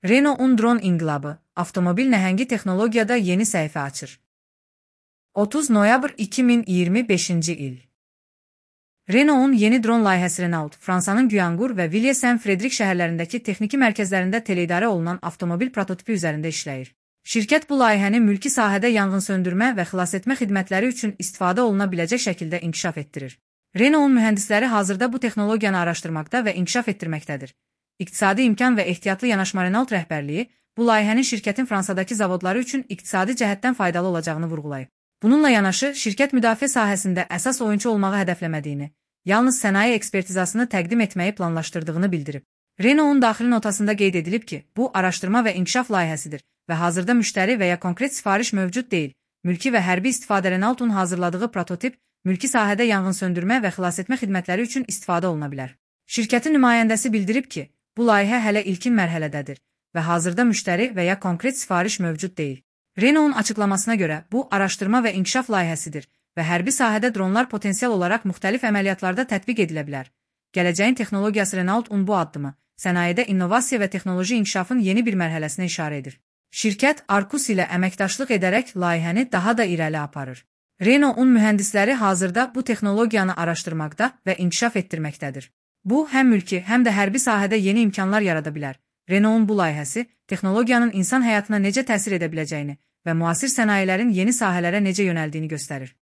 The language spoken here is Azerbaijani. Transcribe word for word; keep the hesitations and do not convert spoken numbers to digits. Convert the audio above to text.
Renault-un dron inqilabı, avtomobil nəhəngi texnologiyada yeni səhifə açır. otuz noyabr iki min iyirmi beşinci il. Renault-un yeni dron layihəsi Renault, Fransanın Guyanqur və Villiers-en-Fredrik şəhərlərindəki texniki mərkəzlərində teleyidarə olunan avtomobil prototipi üzərində işləyir. Şirkət bu layihəni mülki sahədə yanğınsöndürmə və xilasetmə xidmətləri üçün istifadə oluna biləcək şəkildə inkişaf etdirir. Renault-un mühəndisləri hazırda bu texnologiyanı araşdırmaqda və inkişaf etdirməkdədir. İqtisadi imkan və ehtiyatlı yanaşma Renault rəhbərliyi bu layihənin şirkətin Fransadakı zavodları üçün iqtisadi cəhətdən faydalı olacağını vurğulayıb. Bununla yanaşı, şirkət müdafiə sahəsində əsas oyunçu olmağı hədəfləmədiyini, yalnız sənaye ekspertizasını təqdim etməyi planlaşdırdığını bildirib. Renault-un daxili notasında qeyd edilib ki, bu araşdırma və inkişaf layihəsidir və hazırda müştəri və ya konkret sifariş mövcud deyil. Mülki və hərbi istifadə Renault-un hazırladığı prototip, mülki sahədə yanğınsöndürmə və xilasetmə xidmətləri üçün istifadə oluna bilər. Şirkətin nümayəndəsi bildirib ki, bu layihə hələ ilkin mərhələdədir və hazırda müştəri və ya konkret sifariş mövcud deyil. Renault-un açıqlamasına görə, bu araşdırma və inkişaf layihəsidir və hərbi sahədə dronlar potensial olaraq müxtəlif əməliyyatlarda tətbiq edilə bilər. Gələcəyin texnologiyası Renault-un bu addımı, sənayedə innovasiya və texnoloji inkişafın yeni bir mərhələsinə işarə edir. Şirkət Arcus ilə əməkdaşlıq edərək layihəni daha da irəli aparır. Renault-un mühəndisləri hazırda bu texnologiyanı araşdırmaqda və inkişaf etdirməkdədir. Bu, həm mülki, həm də hərbi sahədə yeni imkanlar yarada bilər. Renault-un bu layihəsi, texnologiyanın insan həyatına necə təsir edə biləcəyini və müasir sənayelerin yeni sahələrə necə yönəldiyini göstərir.